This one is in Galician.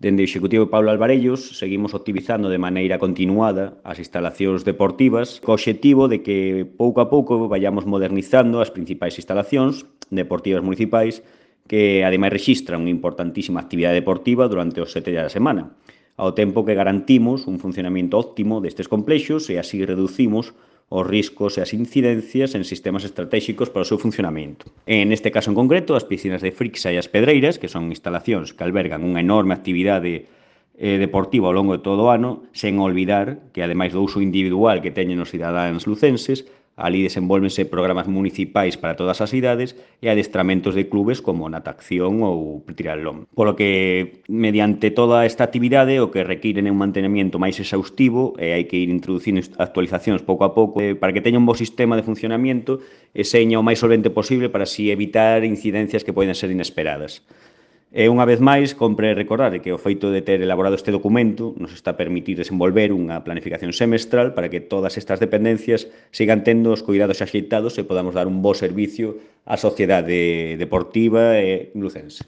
Dende o Executivo Pablo Alvarellos seguimos optimizando de maneira continuada as instalacións deportivas co obxectivo de que pouco a pouco vayamos modernizando as principais instalacións deportivas municipais que ademais rexistran unha importantísima actividade deportiva durante os 7 días da semana, ao tempo que garantimos un funcionamento óptimo destes complexos e así reducimos os riscos e as incidencias en sistemas estratégicos para o seu funcionamento. En este caso en concreto, as piscinas de Frixa e as Pedreiras, que son instalacións que albergan unha enorme actividade deportiva ao longo de todo o ano, sen olvidar que, ademais do uso individual que teñen os cidadáns lucenses, ali desenvólvense programas municipais para todas as idades e adestramentos de clubes como natación ou triatlón. Polo que, mediante toda esta actividade, o que requiren é un mantenemento máis exhaustivo e hai que ir introducindo actualizacións pouco a pouco para que teña un bo sistema de funcionamento e seña o máis solvente posible para así evitar incidencias que poden ser inesperadas. E unha vez máis, compre recordar que o feito de ter elaborado este documento nos está a permitir desenvolver unha planificación semestral para que todas estas dependencias sigan tendo os cuidados axeitados e podamos dar un bo servicio á sociedade deportiva e lucense.